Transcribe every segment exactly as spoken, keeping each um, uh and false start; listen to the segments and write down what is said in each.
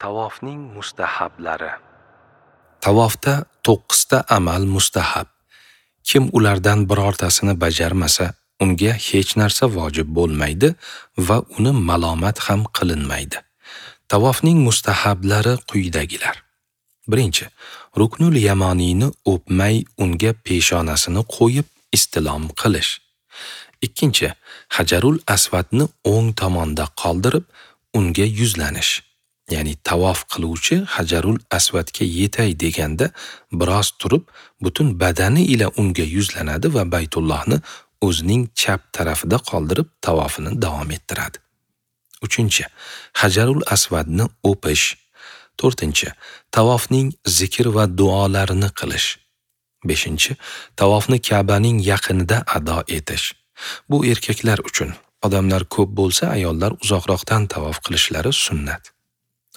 Tavofning mustahablari. Tavofda to'qqizta amal mustahab. Kim ulardan birortasini bajarmasa, unga hech narsa vojib bo'lmaydi va uni malomat ham qilinmaydi. Tavofning mustahablari quyidagilar. Birinchi, Ruknul Yamoniyni o'pmay unga peshonasini qo'yib istilom qilish. Ikkinchi, Hajarul Asvadni o'ng tomonda qoldirib unga yuzlanish. Ya'ni tavof qiluvchi Hajarul Asvadga yetay deganda biroz turib, butun badani ila unga yuzlanadi va Baytullohni o'zining chap tarafida qoldirib tavofini davom ettiradi. Uchinchi, Hajarul Asvadni o'pish. To'rtinchi, tavofning zikr va duolarini qilish. Beshinchi, tavofni Ka'baning yaqinida ado etish. Bu erkaklar uchun. Odamlar ko'p bo'lsa, ayollar uzoqroqdan tavof qilishlari sunnat.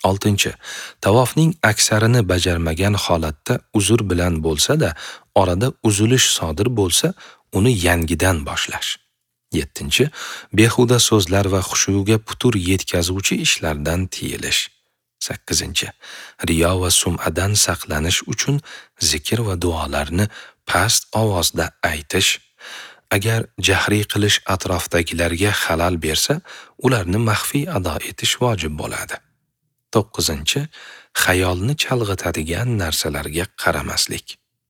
Oltinchi, tavofning aksarini bajarmagan holatda uzr bilan bo'lsa-da, orada uzilish sodir bo'lsa, uni yangidan boshlash. Yettinchi, behuda so'zlar va xushuga putur yetkazuvchi ishlardan tiyilish. Sakkizinchi, riyo va sum'adan saqlanish uchun zikr va duolarni past ovozda aytish. Agar jahriy qilish atrofdagilarga xalal bersa, ularni maxfiy ado etish vojib bo'ladi. To'qqizinchi, xayolni chalg'itadigan narsalarga qaramaslik.